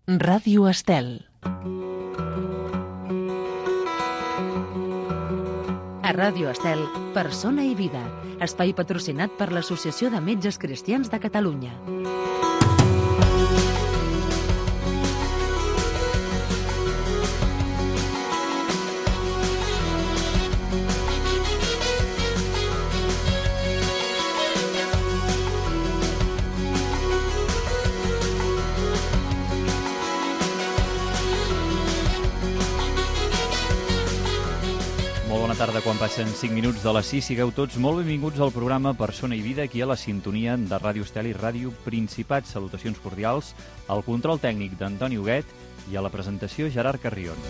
Ràdio Estel. A Ràdio Estel, Persona i Vida, espai patrocinat per l'Associació de Metges Cristians de Catalunya. Tarda, quan passen 5 minuts de les 6, sigueu tots molt benvinguts al programa Persona i Vida, aquí a la sintonia de Ràdio Estel i Ràdio Principat. Salutacions cordials al control tècnic d'Antoni Huguet i a la presentació Gerard Carrion.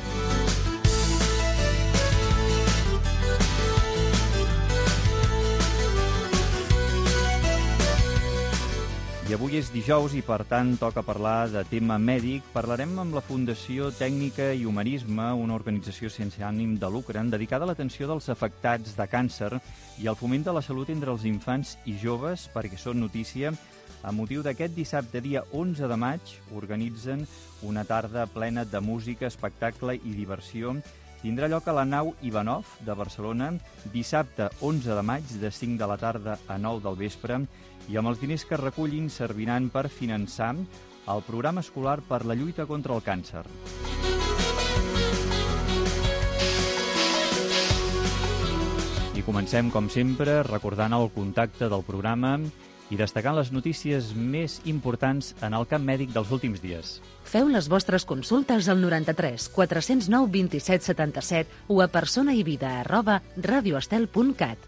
I avui és dijous i, per tant, toca parlar de tema mèdic. Parlarem amb la Fundació Tècnica i Humanisme, una organització sense ànim de lucre dedicada a l'atenció dels afectats de càncer i al foment de la salut entre els infants i joves, perquè són notícia. A motiu d'aquest dissabte, dia 11 de maig, organitzen una tarda plena de música, espectacle i diversió. Tindrà lloc a la nau Ivanov de Barcelona, dissabte 11 de maig, de 5 de la tarda a 9 del vespre, i amb els diners que recullin serviran per finançar el programa escolar per la lluita contra el càncer. I comencem, com sempre, recordant el contacte del programa i destacant les notícies més importants en el camp mèdic dels últims dies. Feu les vostres consultes al 93 409 27 77 o a personaivida@radioestel.cat.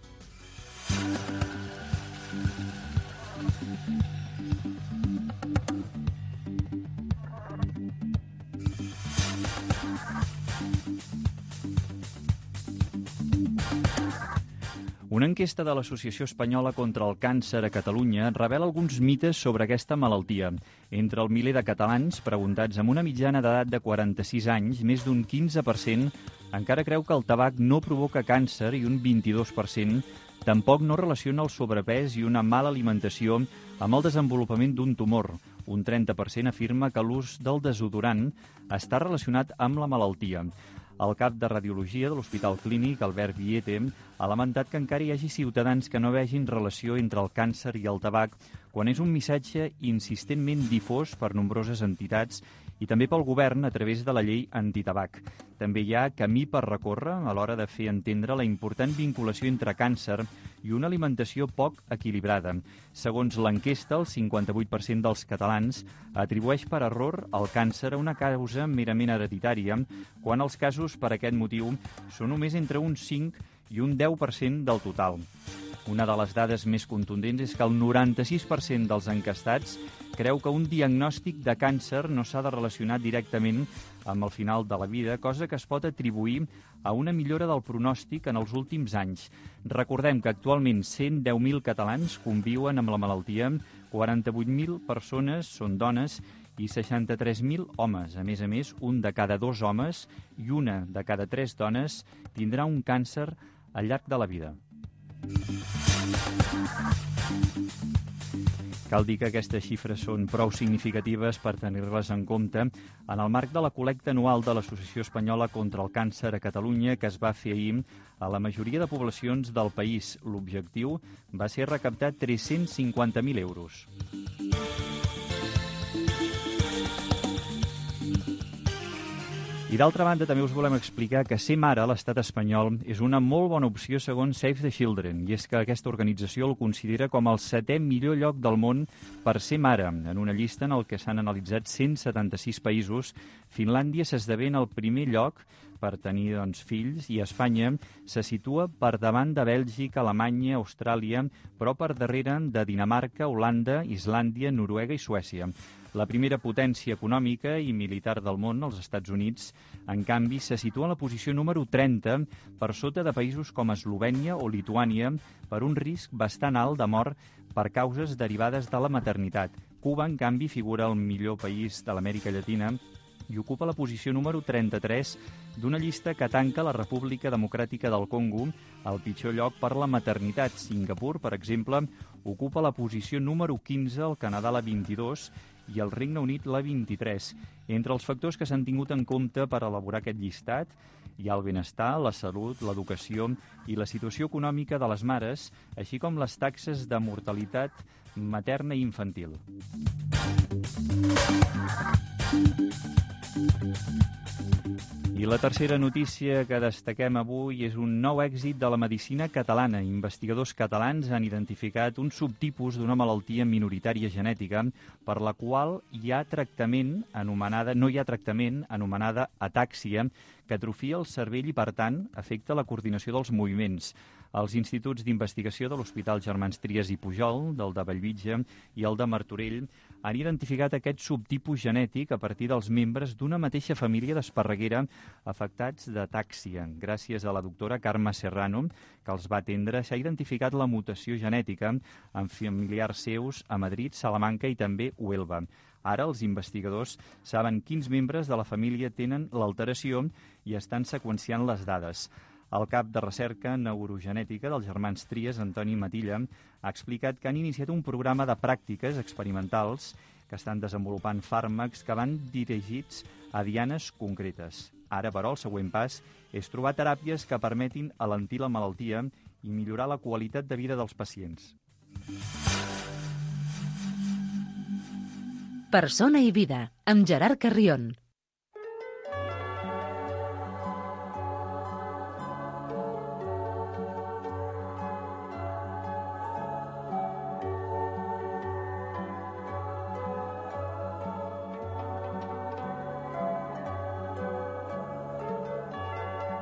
Una enquesta de l'Associació Espanyola contra el Càncer a Catalunya revela alguns mites sobre aquesta malaltia. Entre el miler de catalans preguntats amb una mitjana d'edat de 46 anys, més d'un 15% encara creu que el tabac no provoca càncer i un 22% tampoc no relaciona el sobrepès i una mala alimentació amb el desenvolupament d'un tumor. Un 30% afirma que l'ús del desodorant està relacionat amb la malaltia. El cap de Radiologia de l'Hospital Clínic, Albert Viete, ha lamentat que encara hi hagi ciutadans que no vegin relació entre el càncer i el tabac, quan és un missatge insistentment difós per nombroses entitats i també pel govern a través de la llei antitabac. També hi ha camí per recórrer a l'hora de fer entendre la important vinculació entre càncer i una alimentació poc equilibrada. Segons l'enquesta, el 58% dels catalans atribueix per error el càncer a una causa merament hereditària, quan els casos per aquest motiu són només entre un 5 i un 10% del total. Una de les dades més contundents és que el 96% dels encastats creu que un diagnòstic de càncer no s'ha de relacionar directament amb el final de la vida, cosa que es pot atribuir a una millora del pronòstic en els últims anys. Recordem que actualment 110.000 catalans conviuen amb la malaltia, 48.000 persones són dones i 63.000 homes. A més, un de cada 2 homes i una de cada 3 dones tindrà un càncer al llarg de la vida. Cal dir que aquestes xifres són prou significatives per tenir-les en compte en el marc de la col·lecta anual de l'Associació Espanyola contra el Càncer a Catalunya, que es va fer ahir a la majoria de poblacions del país. L'objectiu va ser recaptar 350.000 euros. I d'altra banda, també us volem explicar que ser mare a l'estat espanyol és una molt bona opció segons Save the Children, i és que aquesta organització el considera com el 7è millor lloc del món per ser mare. En una llista en el que s'han analitzat 176 països, Finlàndia s'esdevé en el primer lloc per tenir fills, i Espanya se situa per davant de Bèlgica, Alemanya, Austràlia, però per darrere de Dinamarca, Holanda, Islàndia, Noruega i Suècia. La primera potència econòmica i militar del món, els Estats Units, en canvi, se situa en la posició número 30, per sota de països com Eslovènia o Lituània, per un risc bastant alt de mort per causes derivades de la maternitat. Cuba, en canvi, figura el millor país de l'Amèrica Llatina i ocupa la posició número 33 d'una llista que tanca la República Democràtica del Congo, el pitjor lloc per la maternitat. Singapur, per exemple, ocupa la posició número 15, el Canadà la 22 i el Regne Unit la 23. Entre els factors que s'han tingut en compte per elaborar aquest llistat hi ha el benestar, la salut, l'educació i la situació econòmica de les mares, així com les taxes de mortalitat materna i infantil. I la tercera notícia que destaquem avui és un nou èxit de la medicina catalana. Investigadors catalans han identificat un subtipus d'una malaltia minoritària genètica per la qual no hi ha tractament anomenada atàxia, que atrofia el cervell i, per tant, afecta la coordinació dels moviments. Els instituts d'investigació de l'Hospital Germans Trias i Pujol, del de Bellvitge i el de Martorell, han identificat aquest subtipus genètic a partir dels membres d'una mateixa família d'Esparreguera afectats d'atàxia. Gràcies a la doctora Carme Serrano, que els va atendre, s'ha identificat la mutació genètica en familiars seus a Madrid, Salamanca i també Huelva. Ara els investigadors saben quins membres de la família tenen l'alteració i estan seqüenciant les dades. El cap de recerca neurogenètica dels Germans Trias, Antoni Matilla, ha explicat que han iniciat un programa de pràctiques experimentals que estan desenvolupant fàrmacs que van dirigits a dianes concretes. Ara, però, el següent pas és trobar teràpies que permetin alentir la malaltia i millorar la qualitat de vida dels pacients. Persona i vida, amb Gerard Carrión.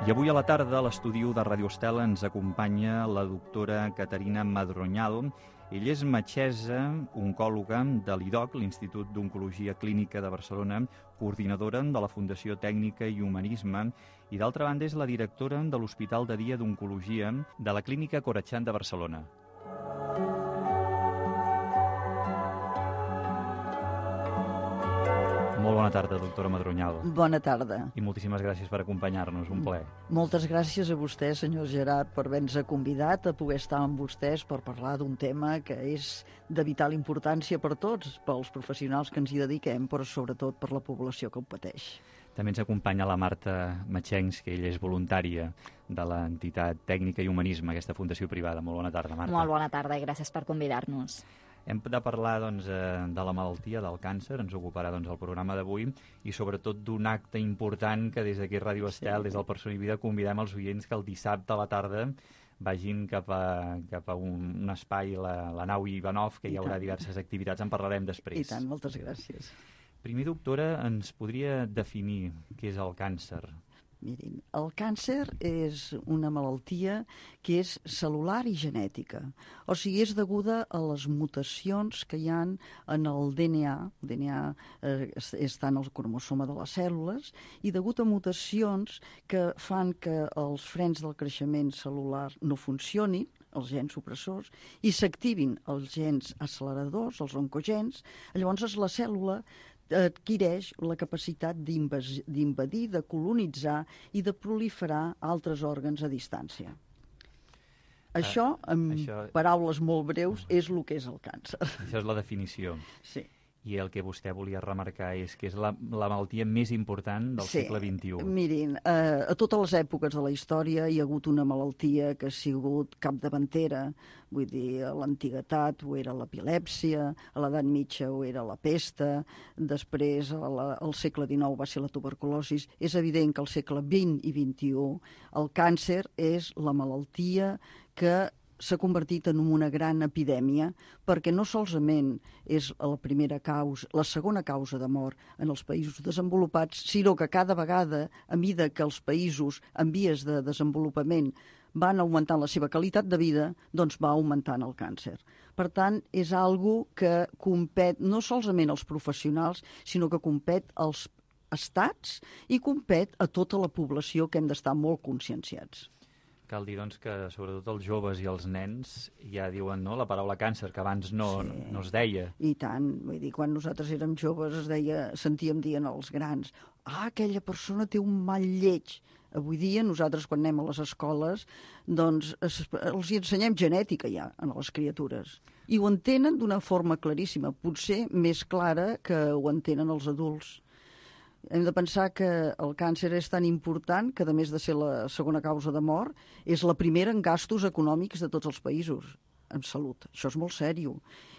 I avui a la tarda a l'estudi de Radio Estel ens acompanya la doctora Caterina Madroñal. Ella és metgessa, oncòloga de l'IDOC, l'Institut d'Oncologia Clínica de Barcelona, coordinadora de la Fundació Tècnica i Humanisme i, d'altra banda, és la directora de l'Hospital de Dia d'Oncologia de la Clínica Corachan de Barcelona. Molt bona tarda, doctora Madroñal. Bona tarda. I moltíssimes gràcies per acompanyar-nos, un plaer. Moltes gràcies a vostè, senyor Gerard, per haver-nos convidat a poder estar amb vostès per parlar d'un tema que és de vital importància per tots, pels professionals que ens hi dediquem, però sobretot per la població que ho pateix. També ens acompanya la Marta Matxencs, que ella és voluntària de l'entitat Tècnica i Humanisme, aquesta fundació privada. Molt bona tarda, Marta. Molt bona tarda i gràcies per convidar-nos. Hem de parlar de la malaltia, del càncer, ens ocuparà el programa d'avui, i sobretot d'un acte important que des d'aquí Ràdio Estel, des del Persona i Vida, convidem els oients que el dissabte a la tarda vagin cap a un espai, la nau Ivanov, que hi haurà diverses activitats, en parlarem després. I tant, moltes gràcies. Primer, doctora, ens podria definir què és el càncer? Mirin, el càncer és una malaltia que és cel·lular i genètica. O sigui, és deguda a les mutacions que hi ha en el DNA. El DNA està en el cromosoma de les cèl·lules i degut a mutacions que fan que els frens del creixement cel·lular no funcionin, els gens supressors, i s'activin els gens acceleradors, els oncogens, llavors la cèl·lula adquireix la capacitat d'invadir, de colonitzar i de proliferar altres òrgans a distància. Això, paraules molt breus, és el que és el càncer. Això és la definició. Sí. I el que vostè volia remarcar és que és la malaltia més important del segle XXI. Mirin, a totes les èpoques de la història hi ha hagut una malaltia que ha sigut capdavantera. Vull dir, a l'antiguitat ho era l'epilèpsia, a l'edat mitja ho era la pesta, després al segle XIX va ser la tuberculosi. És evident que al segle XX i XXI el càncer és la malaltia que s'ha convertit en una gran epidèmia perquè no solament és la segona causa de mort en els països desenvolupats, sinó que cada vegada, a mesura que els països en vies de desenvolupament van augmentant la seva qualitat de vida, doncs va augmentant el càncer. Per tant, és algo que compet no solament als professionals, sinó que compet als estats i compet a tota la població, que hem d'estar molt conscienciats. Cal dir, doncs, que sobretot els joves i els nens ja diuen, no?, la paraula càncer, que abans no es deia. I tant. Vull dir, quan nosaltres érem joves sentíem dir als grans, aquella persona té un mal lleig. Avui dia, nosaltres, quan anem a les escoles, doncs els ensenyem genètica ja a les criatures. I ho entenen d'una forma claríssima, potser més clara que ho entenen els adults. Hem de pensar que el càncer és tan important que, a més de ser la segona causa de mort, és la primera en gastos econòmics de tots els països en salut. Això és molt sèrio.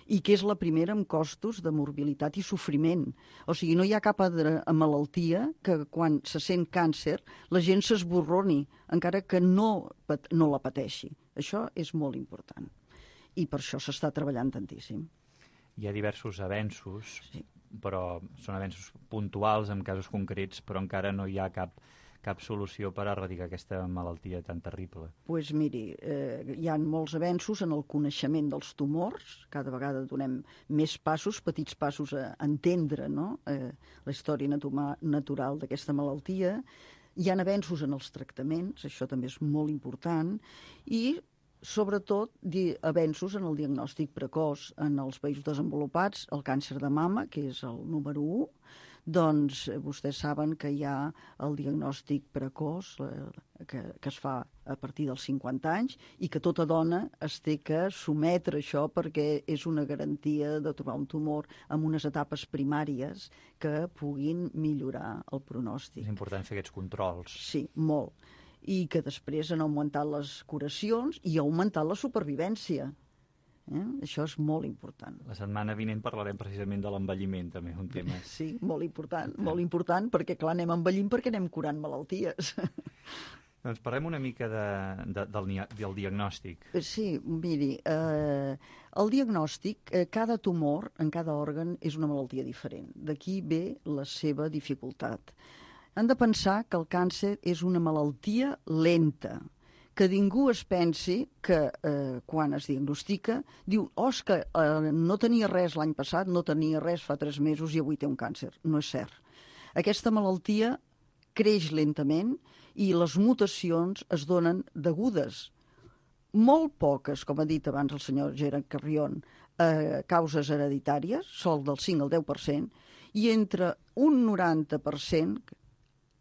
I que és la primera en costos de morbilitat i sofriment. O sigui, no hi ha cap altra malaltia que quan se sent càncer la gent s'esborroni, encara que no la pateixi. Això és molt important. I per això s'està treballant tantíssim. Hi ha diversos avenços, Sí. però són avenços puntuals en casos concrets, però encara no hi ha cap solució per erradicar aquesta malaltia tan terrible. Doncs miri, hi ha molts avenços en el coneixement dels tumors, cada vegada donem més passos, petits passos a entendre, no? La història natural d'aquesta malaltia. Hi ha avenços en els tractaments, això també és molt important, i sobretot avenços en el diagnòstic precoç en els països desenvolupats, el càncer de mama, que és el número 1, doncs vostès saben que hi ha el diagnòstic precoç que es fa a partir dels 50 anys i que tota dona es té que sometre a això perquè és una garantia de trobar un tumor en unes etapes primàries que puguin millorar el pronòstic. És important fer aquests controls. Sí, molt. I que després han augmentat les curacions i ha augmentat la supervivència. Això és molt important. La setmana vinent parlarem precisament de l'envelliment, també, un tema. Sí, molt important, perquè clar, anem envellint perquè anem curant malalties. Doncs parlem una mica del diagnòstic. Sí, miri, el diagnòstic, cada tumor en cada òrgan és una malaltia diferent. D'aquí ve la seva dificultat. Han de pensar que el càncer és una malaltia lenta, que ningú es pensi que quan es diagnostica diu, és que no tenia res l'any passat, no tenia res fa 3 mesos i avui té un càncer. No és cert. Aquesta malaltia creix lentament i les mutacions es donen degudes. Molt poques, com ha dit abans el senyor Gerard Carrion, causes hereditàries, sol del 5 al 10%, i entre un 90%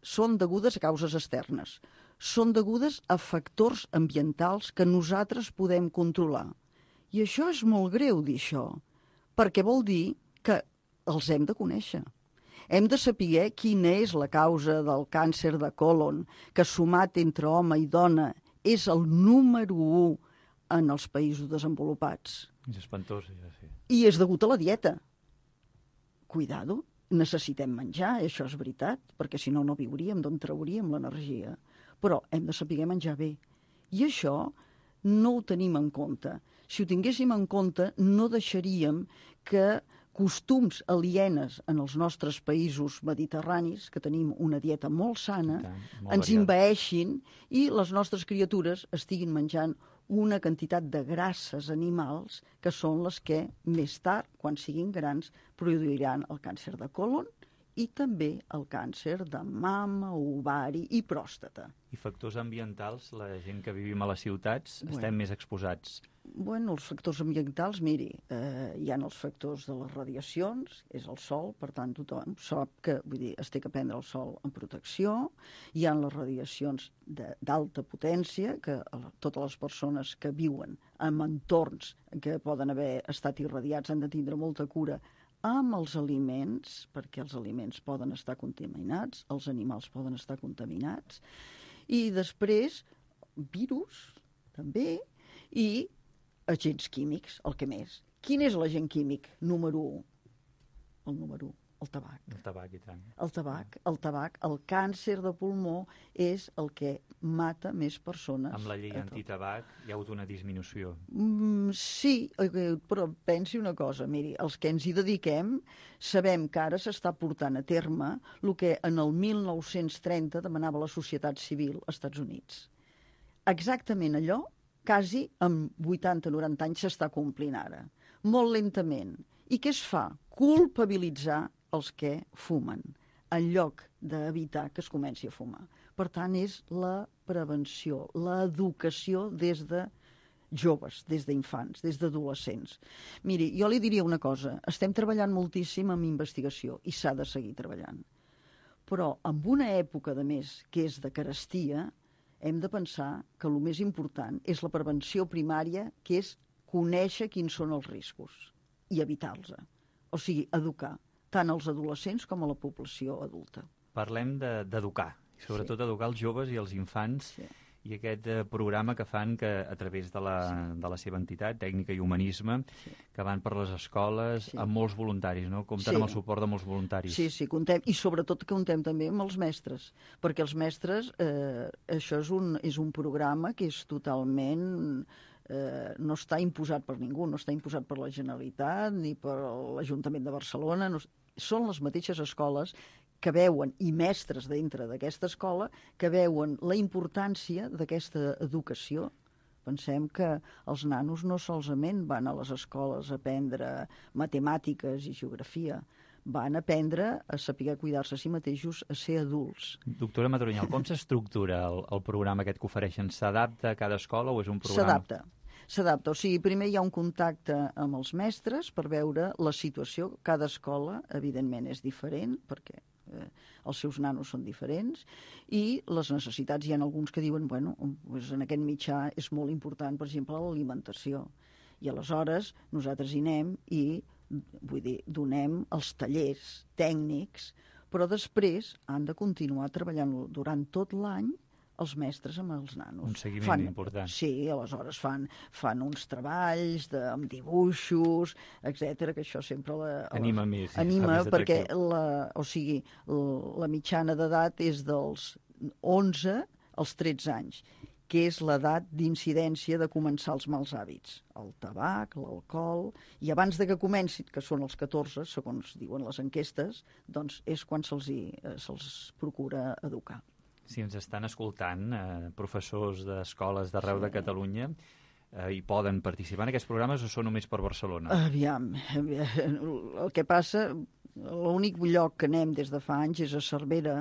són degudes a causes externes. Són degudes a factors ambientals que nosaltres podem controlar. I això és molt greu, dir això, perquè vol dir que els hem de conèixer. Hem de saber quina és la causa del càncer de còlon, que sumat entre home i dona és el número 1 en els països desenvolupats. És espantós, ja sí. I és degut a la dieta. Cuidado, necessitem menjar, això és veritat, perquè si no, no viuríem, d'on trauríem l'energia. Però hem de saber menjar bé. I això no ho tenim en compte. Si ho tinguéssim en compte, no deixaríem que costums alienes en els nostres països mediterranis, que tenim una dieta molt sana, ens envaeixin i les nostres criatures estiguin menjant una quantitat de grasses animals que són les que més tard, quan siguin grans, produiran el càncer de còlon i també el càncer de mama, ovari i pròstata. I factors ambientals, la gent que vivim a les ciutats, estem més exposats. Bueno, els factors ambientals, miri, hi ha els factors de les radiacions, és el sol, per tant tothom sap que, vull dir, es té que prendre el sol en protecció, hi ha les radiacions d'alta potència, que totes les persones que viuen en entorns que poden haver estat irradiats han de tindre molta cura amb els aliments, perquè els aliments poden estar contaminats, els animals poden estar contaminats, i després virus, també, i agents químics, el que més. Quin és l'agent químic número 1? El número 1, el tabac. El tabac, i tant. El tabac, el càncer de pulmó és el que mata més persones. Amb la llei antitabac hi ha hagut una disminució. Sí, però pensi una cosa, miri, els que ens hi dediquem sabem que ara s'està portant a terme el que en el 1930 demanava la societat civil als Estats Units. Exactament allò, quasi amb 80-90 anys s'està complint ara. Molt lentament. I què es fa? Culpabilitzar els que fumen, en lloc d'evitar que es comenci a fumar. Per tant, és la prevenció, l'educació des de joves, des d'infants, des d'adolescents. Miri, jo li diria una cosa, estem treballant moltíssim en investigació i s'ha de seguir treballant. Però en una època, de més, que és de carestia, hem de pensar que el més important és la prevenció primària, que és conèixer quins són els riscos i evitar-los. O sigui, educar tant als adolescents com a la població adulta. Parlem d'educar, sobretot educar els joves i els infants, i aquest programa que fan a través de la seva entitat, Tècnica i Humanisme, que van per les escoles amb molts voluntaris, no? Compten amb el suport de molts voluntaris. Sí, contem, i sobretot comptem també amb els mestres, perquè els mestres, això és un programa que és totalment... no està imposat per ningú, no està imposat per la Generalitat ni per l'Ajuntament de Barcelona, són les mateixes escoles que veuen, i mestres dintre d'aquesta escola, que veuen la importància d'aquesta educació. Pensem que els nanos no solament van a les escoles a aprendre matemàtiques i geografia, van aprendre a saber cuidar-se a si mateixos, a ser adults. Doctora Madronyal, com s'estructura el programa aquest que ofereixen? S'adapta a cada escola o és un programa... S'adapta, o sigui, primer hi ha un contacte amb els mestres per veure la situació. Cada escola, evidentment, és diferent, perquè els seus nanos són diferents, i les necessitats, hi ha alguns que diuen, bueno, doncs en aquest mitjà és molt important, per exemple, l'alimentació. I aleshores nosaltres hi anem i, vull dir, donem els tallers tècnics, però després han de continuar treballant durant tot l'any els mestres amb els nanos. Un seguiment important. Sí, aleshores fan uns treballs amb dibuixos, etc, que això sempre anima més. Anima perquè la mitjana d'edat és dels 11 als 13 anys, que és l'edat d'incidència de començar els mals hàbits. El tabac, l'alcohol... I abans de que comenci, que són els 14, segons diuen les enquestes, doncs és quan se'ls procura educar. Si ens estan escoltant professors d'escoles d'arreu de Catalunya, i poden participar en aquests programes o són només per Barcelona? Aviam, el que passa, l'únic lloc que anem des de fa anys és a Cervera,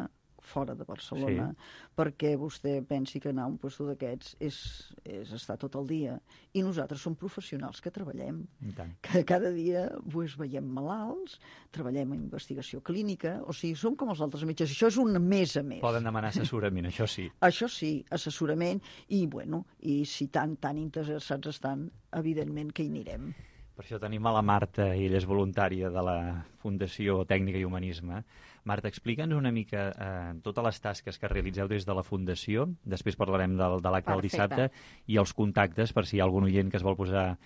fora de Barcelona, perquè vostè pensi que anar a un lloc d'aquests és estar tot el dia. I nosaltres som professionals que treballem, que cada dia veiem malalts, treballem en investigació clínica, o sigui, som com els altres metges. Això és un més a més. Poden demanar assessorament, això sí. Això sí, assessorament, i si tan interessats estan, evidentment que hi anirem. Per això tenim a la Marta, i ella és voluntària de la Fundació Tècnica i Humanisme. Marta, explica'ns una mica totes les tasques que realitzeu des de la Fundació, després parlarem de l'acte del dissabte, i els contactes, per si hi ha algun oient que es vol posar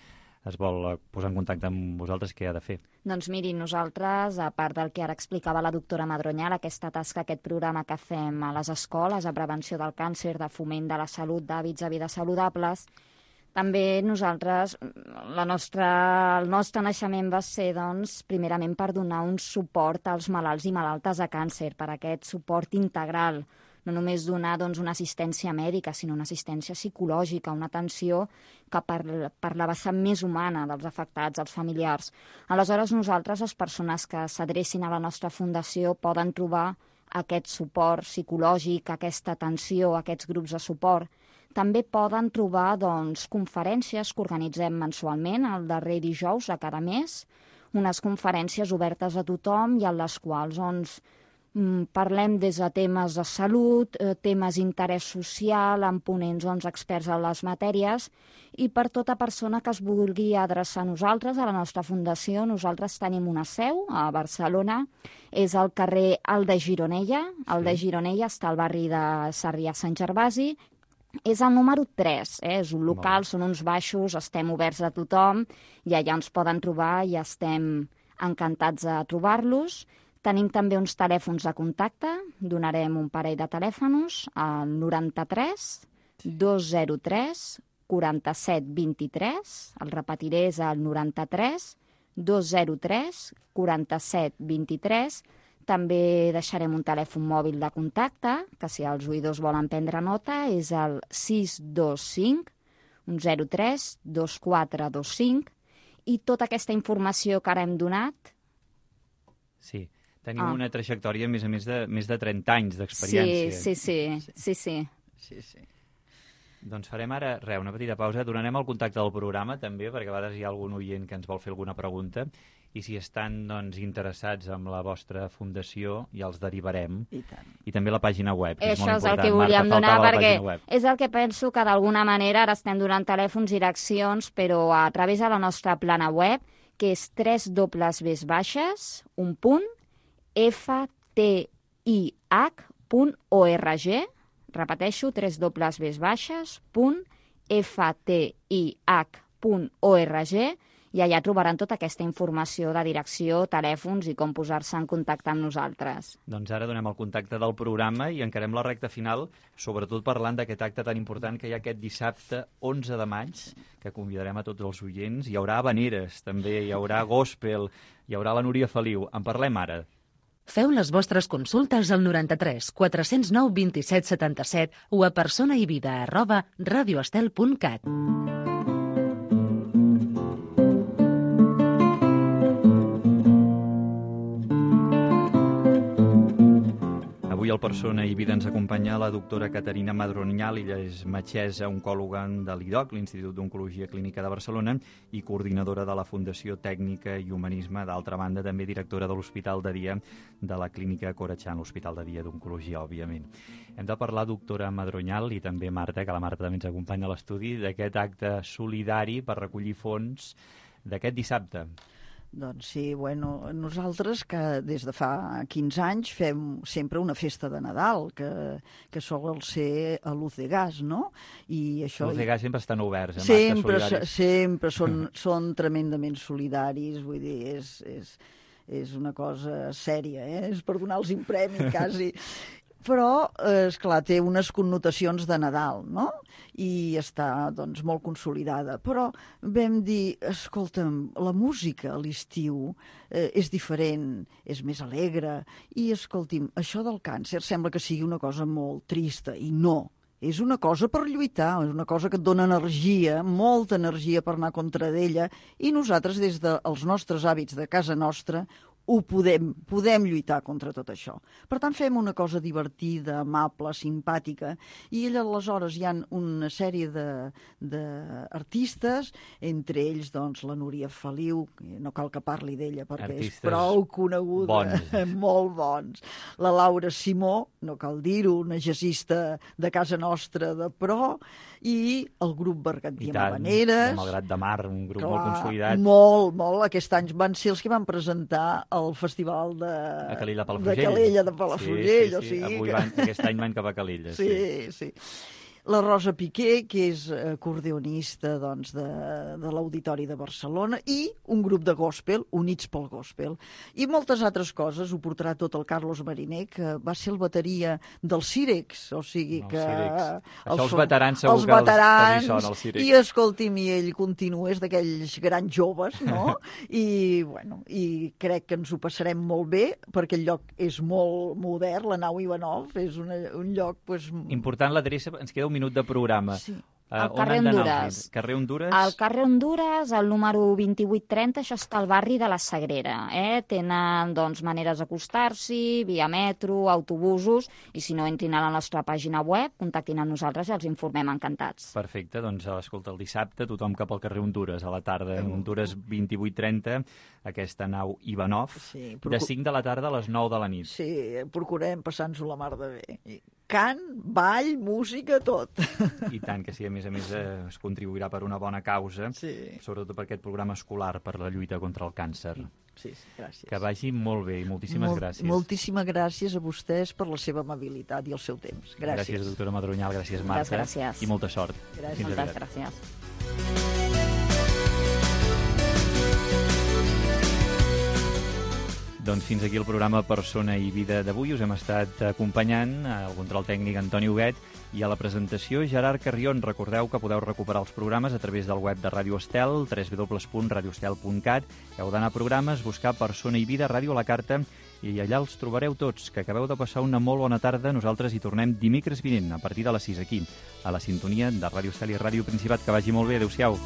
en contacte amb vosaltres, què ha de fer? Doncs miri, nosaltres, a part del que ara explicava la doctora Madronyal, aquesta tasca, aquest programa que fem a les escoles, a prevenció del càncer, de foment de la salut, d'hàbits de vida saludables, també nosaltres, el nostre naixement va ser, doncs, primerament per donar un suport als malalts i malaltes de càncer, per aquest suport integral, no només donar una assistència mèdica, sinó una assistència psicològica, una atenció que per la vessant més humana dels afectats, els familiars. Aleshores, nosaltres, les persones que s'adrecin a la nostra fundació, poden trobar aquest suport psicològic, aquesta atenció, aquests grups de suport. També poden trobar conferències que organitzem mensualment, el darrer dijous de cada mes, unes conferències obertes a tothom i en les quals parlem des de temes de salut, temes d'interès social, amb ponents experts en les matèries, i per tota persona que es vulgui adreçar a nosaltres, a la nostra fundació, nosaltres tenim una seu a Barcelona, és al carrer El de Gironella, el de Gironella està al barri de Sarrià-Sant Gervasi, és el número 3, és un local, són uns baixos, estem oberts a tothom, i allà ens poden trobar i estem encantats de trobar-los. Tenim també uns telèfons de contacte, donarem un parell de telèfons, al 93 203 47 23, el repetiré, és el 93 203 47 23. També deixarem un telèfon mòbil de contacte, que si els oïdors volen prendre nota, és el 625 103 2425, i tota aquesta informació que ara hem donat... Sí, tenim una trajectòria, a més de 30 anys d'experiència. Sí. Doncs farem ara una petita pausa, donarem el contacte del programa també, perquè a vegades hi ha algun oient que ens vol fer alguna pregunta, i si estan interessats en la vostra fundació ja els derivarem. I tant. I també la pàgina web, que és molt Això és el important. que volíem Marta, donar, faltava la perquè pàgina web. és el que penso que d'alguna manera ara estem donant telèfons i direccions, però a través de la nostra plana web, que és www.ftih.org, repeteixo, www.ftih.org, i allà trobaran tota aquesta informació de direcció, telèfons i com posar-se en contacte amb nosaltres. Doncs ara donem el contacte del programa i encarem la recta final, sobretot parlant d'aquest acte tan important que hi ha aquest dissabte 11 de maig, que convidarem a tots els oients. Hi haurà habaneres, també, hi haurà gospel, hi haurà la Núria Feliu. En parlem ara. Feu les vostres consultes al 93 409 27 77 o a personaivida@radioestel.cat. Avui al Persona i Vida ens acompanya la doctora Caterina Madronyal. Ella és metgessa oncòloga de l'IDOC, l'Institut d'Oncologia Clínica de Barcelona, i coordinadora de la Fundació Tècnica i Humanisme. D'altra banda, també directora de l'Hospital de Dia de la Clínica Corachan, l'Hospital de Dia d'Oncologia, òbviament. Hem de parlar, doctora Madronyal, i també Marta, que la Marta també ens acompanya a l'estudi, d'aquest acte solidari per recollir fons d'aquest dissabte. Doncs sí, nosaltres que des de fa 15 anys fem sempre una festa de Nadal, que sol ser a Luz de Gas, no? I això... Luz de Gas sempre estan oberts, sempre són tremendament solidaris, vull dir, és una cosa sèria, és per donar-los un premi, quasi. Però, esclar, té unes connotacions de Nadal, no? I està, doncs, molt consolidada. Però vam dir, escolta'm, la música a l'estiu és diferent, és més alegre, i, escolti'm, això del càncer sembla que sigui una cosa molt trista, i no. És una cosa per lluitar, és una cosa que et dona energia, molta energia per anar contra d'ella, i nosaltres, des dels nostres hàbits de casa nostra, podem lluitar contra tot això. Per tant, fem una cosa divertida, amable, simpàtica, i aleshores hi ha una sèrie d'artistes, entre ells, doncs, la Núria Feliu, no cal que parli d'ella perquè és prou coneguda, molt bons. La Laura Simó, no cal dir-ho, una jazzista de casa nostra de pro, i el grup Bergantí amb Habaneres. Malgrat de Mar, un grup molt consolidat. Molt. Aquest any van ser els que van presentar el festival de Calella de Palafrugell. Sí. Aquest any van cap a Calella. Sí. La Rosa Piqué, que és acordeonista doncs, de l'Auditori de Barcelona, i un grup de gospel, Units pel Gospel. I moltes altres coses, ho portarà tot el Carlos Mariner, que va ser el bateria del Cirex, o sigui que... Això els veterans segur que els hi sona, el Cirex. I escolti'm, i ell continua, és d'aquells grans joves, no? I crec que ens ho passarem molt bé, perquè el lloc és molt modern, la nau Ivanov, és un lloc... Important l'adreça, ens queda un minut de programa. Sí. Al carrer Hondures. Carrer Hondures? Al carrer Hondures, al número 2830, això està al barri de la Sagrera. Tenen, doncs, maneres d'acostar-s'hi, via metro, autobusos, i si no, entrin a la nostra pàgina web, contactin amb nosaltres i els informem encantats. Perfecte, doncs, escolta, el dissabte, tothom cap al carrer Hondures, a la tarda, Hondures 2830, aquesta nau Ivanov, de 5 de la tarda a les 9 de la nit. Sí, procurem passar-nos-ho la mar de bé. Cant, ball, música, tot. I tant, que sí, a més es contribuirà per una bona causa, sobretot per aquest programa escolar per la lluita contra el càncer. Sí, gràcies. Que vagi molt bé i moltíssimes gràcies. Moltíssimes gràcies a vostès per la seva amabilitat i el seu temps. Gràcies. Gràcies, doctora Madronyal, gràcies, Marta. Gràcies. I molta sort. Gràcies. Moltes gràcies. Doncs fins aquí el programa Persona i Vida d'avui. Us hem estat acompanyant al control tècnic Antoni Huguet i a la presentació Gerard Carrion. Recordeu que podeu recuperar els programes a través del web de Ràdio Estel, www.radioestel.cat. Heu d'anar a programes, buscar Persona i Vida, Ràdio a la Carta, i allà els trobareu tots. Que acabeu de passar una molt bona tarda. Nosaltres hi tornem dimecres vinent, a partir de les 6 aquí, a la sintonia de Ràdio Estel i Ràdio Principat. Que vagi molt bé. Adéu-siau.